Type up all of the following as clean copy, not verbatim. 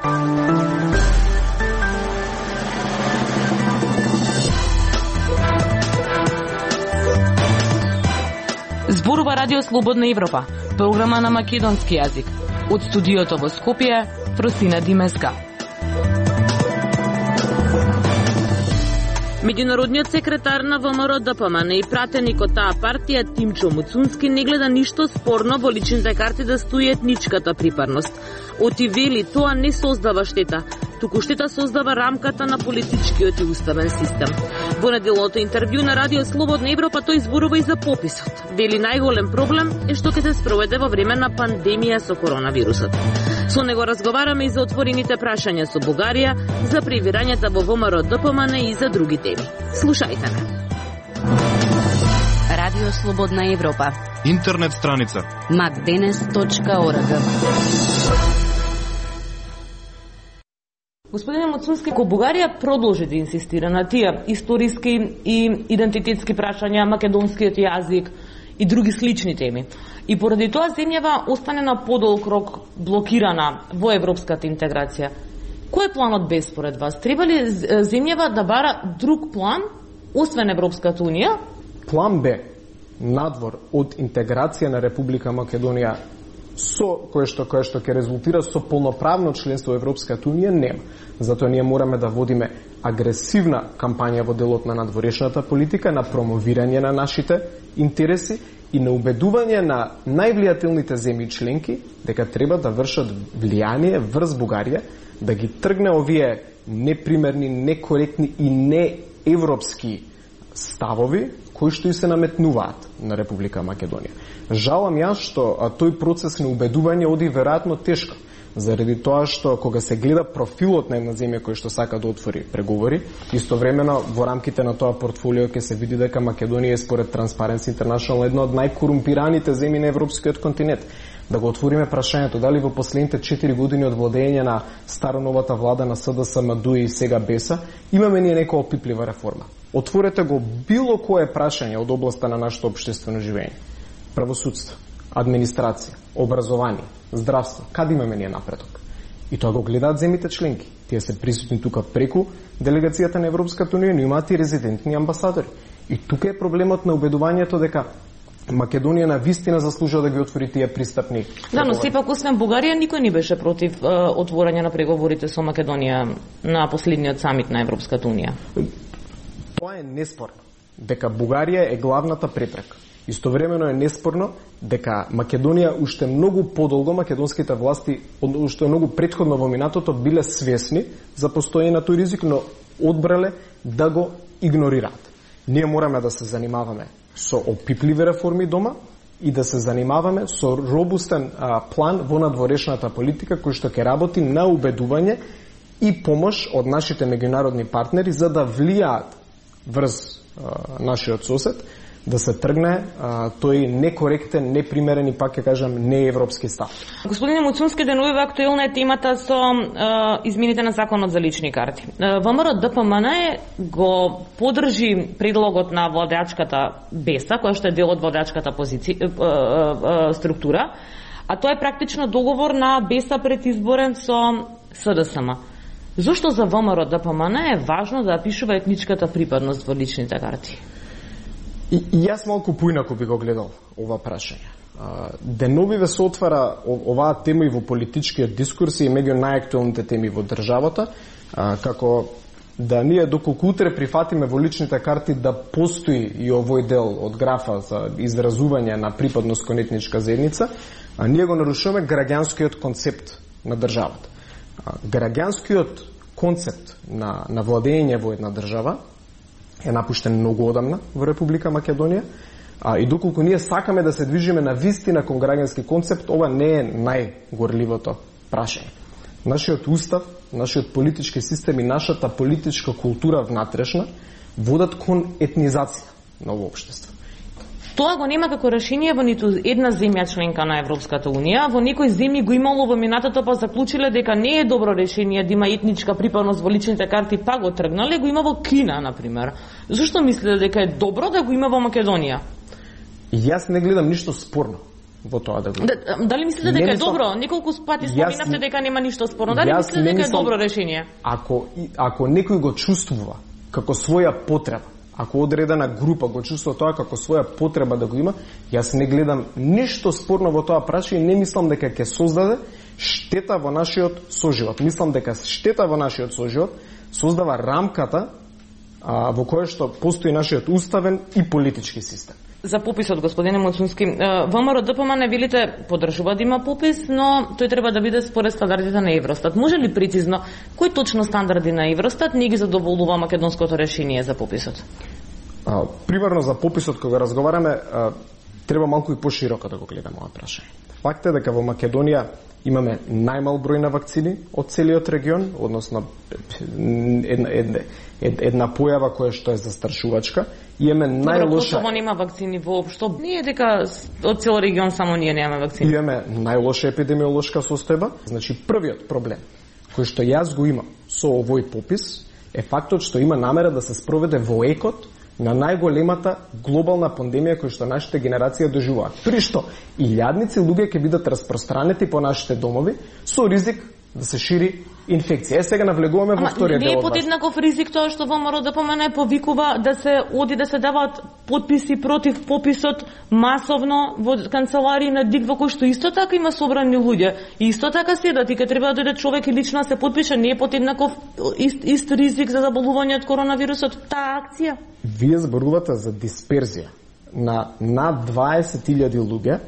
Зборува Радио Слободна Европа, програма на македонски јазик. Од студиото во Скопје, Фросина Димеска. Меѓународниот секретар на ВМРО ДПМН и пратеник од таа партија Тимчо Муцунски не гледа ништо спорно во личните карти да стои етничката припадност. Оти вели тоа не создава штета, туку штета создава рамката на политичкиот и уставен систем. Во неделното интервју на Радио Слободна Европа тој зборува и за пописот. Вели најголем проблем е што ќе се спроведе во време на пандемија со коронавирусот. Со него разговараме и за отворените прашања со Бугарија, за превирањата во ВМРО ДПМН и за други теми. Слушајте ме. Радио Слободна Европа. Интернет страница macdenes.org. Господине Муцунски, ко Бугарија продолжи да инсистира на тие историски и идентитетски прашања, македонскиот јазик и други слични теми. И поради тоа земјава остане на подолг рок блокирана во европската интеграција. Кој е планот Б според вас? Треба ли земјава да бара друг план, освен Европската Унија? План Б, надвор од интеграција на Република Македонија со кое што ќе резултира со полноправно членство во Европската Унија, нема. Затоа ние мораме да водиме агресивна кампања во делот на надворешната политика, на промовирање на нашите интереси и на убедување на највлијателните земји членки дека треба да вршат влијание врз Бугарија, да ги тргне овие непримерни, некоректни и неевропски ставови кои што и се наметнуваат на Република Македонија. Жалам јас што тој процес на убедување оди веројатно тешко, заради тоа што кога се гледа профилот на една земја која што сака да отвори преговори, истовремено во рамките на тоа портфолио ќе се види дека Македонија е според Transparency International една од најкорумпираните земји на европскиот континент. Да го отвориме прашањето дали во последните 4 години од владење на староновата влада на СДСМ и сега БЕСА имаме ние нека опиплива реформа. Отворете го било кое прашање од областа на нашето општествено живење. Правосудство, администрација, образование, здравство, каде имаме ние напредок? И тоа го гледаат земјите членки. Тие се присутни тука преку делегацијата на Европската Унија, но имаат и резидентни амбасадори. И тука е проблемот на убедувањето дека Македонија на вистина заслужува да ги отвори тие пристапни. Да, но сепак освен Бугарија никој не беше против отворање на преговорите со Македонија на последниот самит на Европската Унија. Тоа е неспорно дека Бугарија е главната препрека. Истовремено е неспорно дека Македонија уште многу подолго, македонските власти уште многу претходно во минатото биле свесни за постоење на тој ризик, но одбрале да го игнорираат. Ние мораме да се занимаваме со опипливи реформи дома и да се занимаваме со робустен план во надворешната политика кој што ќе работи на убедување и помош од нашите меѓународни партнери за да влијаат врз нашиот сосед, да се тргне тој некоректен, непримерен и пак ќе кажам неевропски став. Господине Муцунски, денувива актуелна е темата со измените на законот за лични карти. ВМРО ДПМН го поддржи предлогот на владеачката БЕСА, која што е дел од владеачката структура, а тоа е практично договор на БЕСА предизборен со СДСМ. Зошто за ВМРО ДПМН е важно да пишува етничката припадност во личните карти? И јас малку поинаку би го гледал ова прашање. Деновиве се отвара оваа тема и во политичкиот дискурс и меѓу најактуелните теми во државата, како да ние доколку утре прифатиме во личните карти да постои и овој дел од графа за изразување на припадност кон етничка заедница, ние го нарушуваме граѓанскиот концепт на државата. Граѓанскиот концепт на владење во една држава е напуштен многу одамна во Република Македонија, и доколку ние сакаме да се движиме на вистина кон граѓански концепт, ова не е најгорливото прашање. Нашиот устав, нашиот политички систем и нашата политичка култура внатрешна водат кон етнизација на овој општество. Тоа го нема како решение во ниту една земја членка на Европската Унија. Во некои земји го имало во минатото, па заклучиле дека не е добро решение да има етничка припадност во личните карти, па го тргнале. Го има во Кина, например. Зошто мислите дека е добро да го има во Македонија? Јас не гледам ништо спорно во тоа да го. Дали мислите дека е добро? Неколку пати споминавте дека нема ништо спорно. Дали мислите дека е добро решение? Ако некој го чувствува како своја потреба, ако одредена група го чувствува тоа како своја потреба да го има, јас не гледам ништо спорно во тоа прашање и не мислам дека ќе создаде штета во нашиот соживот. Мислам дека штета во нашиот соживот создава рамката во која што постои нашиот уставен и политички систем. За пописот, господине Муцунски, ВМРО ДПМН велите поддржува да има попис, но тој треба да биде според стандардите на Евростат. Може ли прецизно кои точно стандарди на Евростат не ги задоволува македонското решение за пописот? Примерно за пописот кога разговараме, треба малку и пошироко да го гледаме ова прашање. Факт е дека во Македонија имаме најмал број на вакцини од целиот регион, односно една појава која што е застрашувачка. Имаме најлоша. Косово нема вакцини воопшто. Не е дека од цел регион само ние немаме вакцини. Имаме најлоша епидемиолошка состојба. Значи првиот проблем кој што јас го имам со овој попис е фактот што има намера да се спроведе во екот на најголемата глобална пандемија која што нашите генерација доживуваат. При што илјадници луѓе ќе бидат распространети по нашите домови со ризик да се шири инфекција. Сега навлегуваме во вториот дел. Не е подеднаков ризик тоа што ВМРО ДПМН повикува да се оди да се даваат потписи против пописот масовно во канцеларии на ДИК во кој што исто така има собрани луѓе и исто така седат и ке треба да дојде човек и лично се потпише, не е подеднаков ист ризик за заболување од коронавирусот таа акција. Вие зборувате за дисперзија на над 20.000 луѓе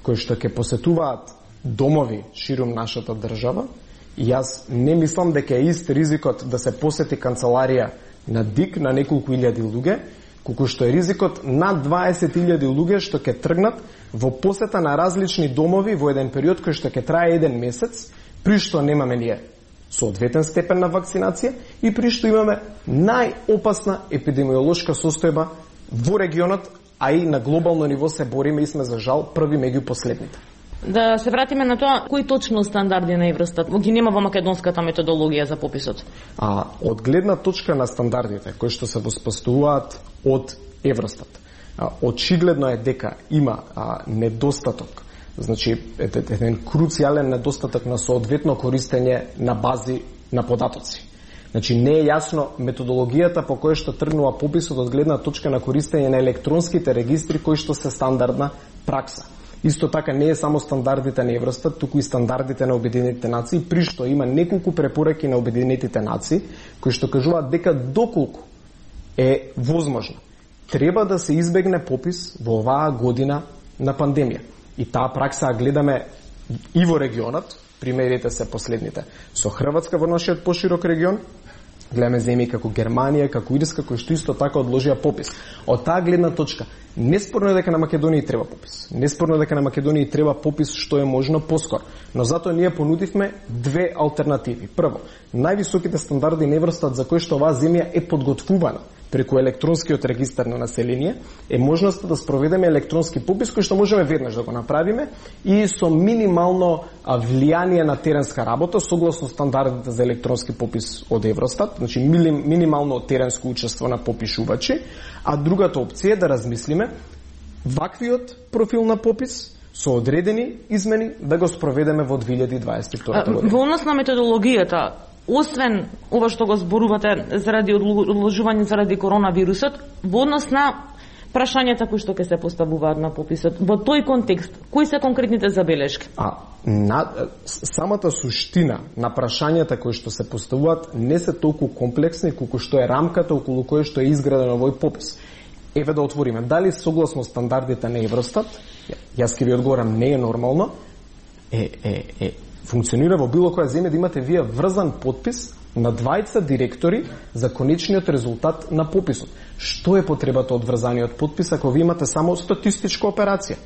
кои што ќе посетуваат домови ширум нашата држава. И јас не мислам дека е ист ризикот да се посети канцеларија на ДИК на неколку илјади луѓе, колку што е ризикот над 20.000 луѓе што ќе тргнат во посета на различни домови во еден период кој што ќе трае еден месец, при што немаме ние соодветен степен на вакцинација и при што имаме најопасна епидемиолошка состојба во регионот, а и на глобално ниво се бориме и сме за жал први меѓу последните. Да се вратиме на тоа, кои точно стандарди на Евростат ги нема во македонската методологија за пописот? Од гледна точка на стандардите кои што се воспоставуваат од Евростат, очигледно е дека има недостаток, значи еден круцијален недостаток на соодветно користење на бази на податоци. Значи не е јасно методологијата по која што тргнува пописот од гледна точка на користење на електронските регистри кои што се стандардна пракса. Исто така не е само стандардите на Евростат, туку и стандардите на Обединетите нации, при што има неколку препораки на Обединетите нации кои што кажуваат дека доколку е возможно треба да се избегне попис во оваа година на пандемија. И таа пракса гледаме и во регионот, примерите се последните со Хрватска во нашиот поширок регион, гледаме земји како Германија, како Ирска, кои што исто така одложија попис. Од таа гледна точка, неспорно е дека на Македонија треба попис. Неспорно е дека на Македонија треба попис што е можно поскоро. Но затоа ние понудивме две алтернативи. Прво, највисоките стандарди на Евростат за кои што оваа земја е подготвувана преку електронскиот регистар на население, е можноста да спроведеме електронски попис кој што можеме веднаш да го направиме и со минимално влијание на теренска работа согласно стандардите за електронски попис од Евростат, значи минимално теренско учество на попишувачи, а другата опција е да размислиме ваквиот профил на попис со одредени измени да го спроведеме во 2022 година. Во однос на методологијата, освен ова што го зборувате заради одложување заради коронавирусот, во однос на прашањата кои што ќе се поставуваат на пописот, во тој контекст, кои се конкретните забелешки? Самата суштина на прашањата кои што се поставуваат не се толку комплексни колку што е рамката околу која што е изграден овој попис. Еве да отвориме, дали согласно стандардите на Евростат, јас ќе ви одговорам, не е нормално, функционира во било која земја да имате вие врзан подпис на двајца директори за конечниот резултат на пописот. Што е потребата од врзаниот подпис ако ви имате само статистичка операција?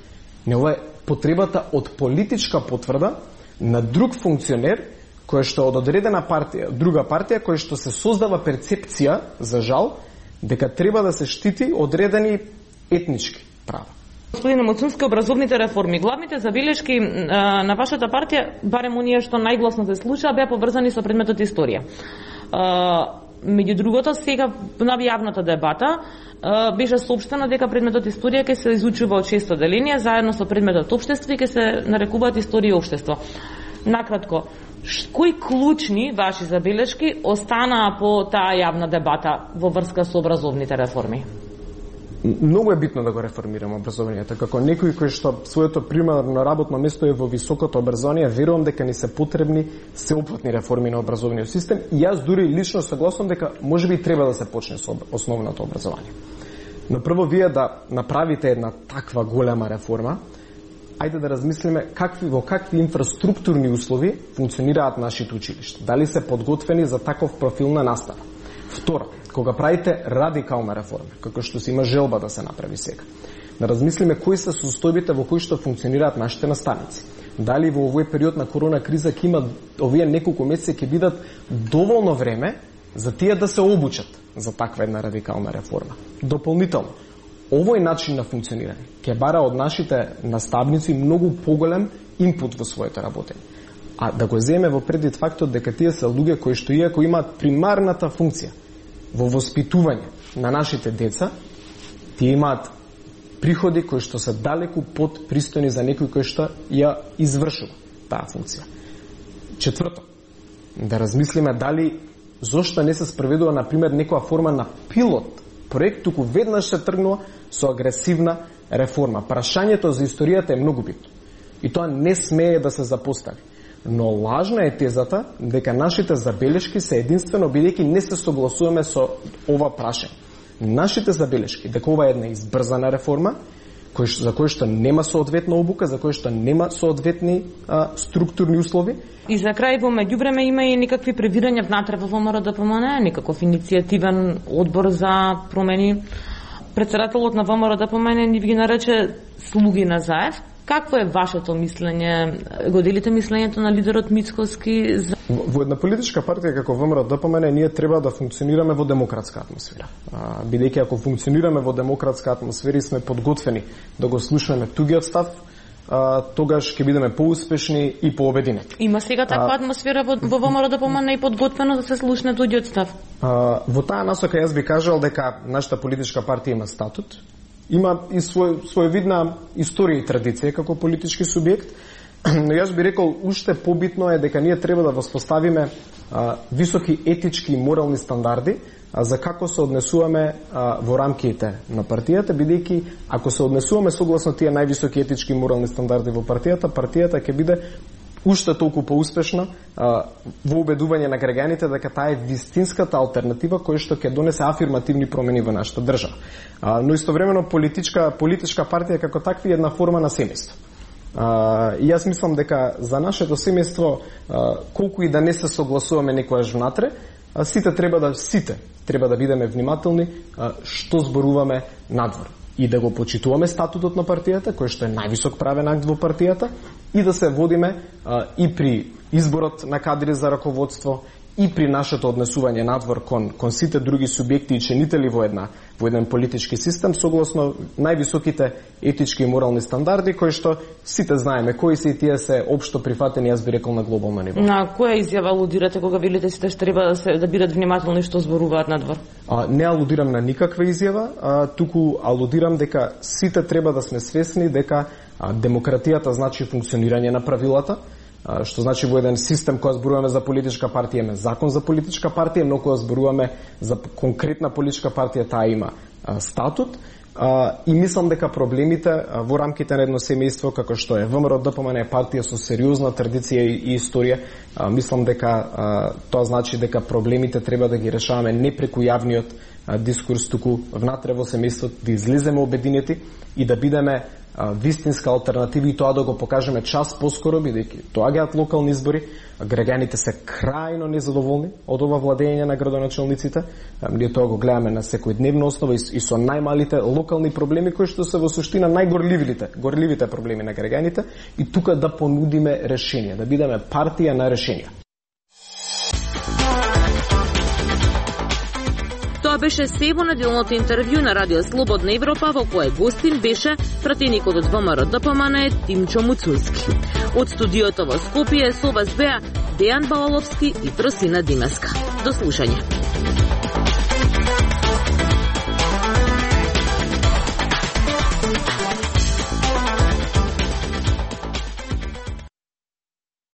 Не, ова е потребата од политичка потврда на друг функционер кој што од одредена партија, друга партија кој што се создава перцепција, за жал, дека треба да се штити одредени етнички права. Господине Муцунски, образовните реформи, главните забелешки на вашата партија, барем оние што најгласно се слуша, беа поврзани со предметот историја. Меѓу другото, сега на јавната дебата беше соопштено дека предметот историја ќе се изучува од 6 оделенија заедно со предметот општество и ќе се нарекуваат историја и општество. Накратко, кои клучни ваши забелешки останаа по таа јавна дебата во врска со образовните реформи? Многу е битно да го реформираме образованието. Како некој кој што своето примарно работно место е во високото образование, верувам дека ни се потребни сеопфатни реформи на образовниот систем и јас дури лично согласувам дека можеби треба да се почне со основното образование. Но прво вие да направите една таква голема реформа, ајде да размислиме во какви инфраструктурни услови функционираат нашите училишта. Дали се подготвени за таков профил на настава? Второ, кога правите радикална реформа, како што се има желба да се направи сега, да размислиме кои се состојбите во кои што функционираат нашите наставници. Дали во овој период на корона криза ќе има овие неколку месеци ќе бидат доволно време за тие да се обучат за таква една радикална реформа. Дополнително, овој начин на функционирање ќе бара од нашите наставници многу поголем инпут во своето работење. А да го земе во предвид фактот дека тие се луѓе кои што иако имаат примарната функција во воспитување на нашите деца, тие имаат приходи кои што се далеку под пристојни за некој кој што ја извршува таа функција. Четврто, да размислиме дали зошто не се спроведува на пример некоја форма на пилот проект, туку веднаш се тргнува со агресивна реформа. Прашањето за историјата е многу битно и тоа не смее да се запостави. Но лажна е тезата дека нашите забелешки се единствено бидејќи не се согласуваме со ова прашање. Нашите забелешки дека ова е една избрзана реформа, за кој што нема соодветна обука, за кој што нема соодветни структурни услови. И за крај, во меѓувреме има и некакви превирања внатре во ВМРО ДПМН, некаков иницијативен одбор за промени. Председателот на ВМРО ДПМН ни ги нарече слуги на Заев. Какво е вашето мислење? Го делите мислењето на лидерот Мицкоски? Во една политичка партија како ВМРО ДПМН ние треба да функционираме во демократска атмосфера. Бидејќи ако функционираме во демократска атмосфера и сме подготвени да го слушнеме тугиот став, тогаш ќе бидеме поуспешни и пообединени. Има сега таква атмосфера во ВМРО ДПМН и подготвено да се слушне тугиот став? Во таа насока јас би кажал дека нашата политичка партија има статут, има и своевидна историја и традиција како политички субјект, но јас би рекол уште побитно е дека ние треба да воспоставиме високи етички и морални стандарди за како се однесуваме во рамките на партијата, бидејќи ако се однесуваме согласно тие највисоки етички и морални стандарди во партијата ќе биде уште толку поуспешна во убедување на граѓаните дека таа е вистинската алтернатива која што ќе донесе афирмативни промени во нашата држава. Но истовремено политичка партија како таква е една форма на семејство. И јас мислам дека за нашето семејство, колку и да не се согласуваме некојаш внатре, сите треба да бидеме внимателни што зборуваме надвор и да го почитуваме статутот на партијата, кој што е највисок правен акт во партијата, и да се водиме и при изборот на кадри за раководство, и при нашето однесување надвор кон сите други субјекти и ченители во еден политички систем, согласно највисоките етички и морални стандарди, кои што сите знаеме кои се и тие се општо прифатени, јас би рекол, на глобално ниво. На која изјава алудирате кога велите сите што треба да бидат внимателни што зборуваат надвор? Не алудирам на никаква изјава, туку алудирам дека сите треба да сме свесни дека демократијата значи функционирање на правилата, што значи во еден систем кога зборуваме за политичка партија има закон за политичка партија, но кога зборуваме за конкретна политичка партија таа има статут. И мислам дека проблемите во рамките на едно семејство како што е ВМРО ДПМН е партија со сериозна традиција и историја, мислам дека тоа значи дека проблемите треба да ги решаваме не преку јавниот дискурс, туку внатре во семејството да излеземе обединети и да бидеме вистинска алтернатива и тоа да го покажеме час поскоро, бидејќи доаѓаат локални избори, граѓаните се крајно незадоволни од ова владење на градоначелниците. Ние тоа го гледаме на секојдневна основа и со најмалите локални проблеми кои што се во суштина горливите проблеми на граѓаните, и тука да понудиме решенија, да бидеме партија на решенија. Тоа беше се во неделното интервју на Радио Слободна Европа, во кое гостин беше пратеникот од ВМРО ДПМН Тимчо Муцунски. Од студиото во Скопје со вас беа Дејан Балаловски и Тросина Димеска. До слушање.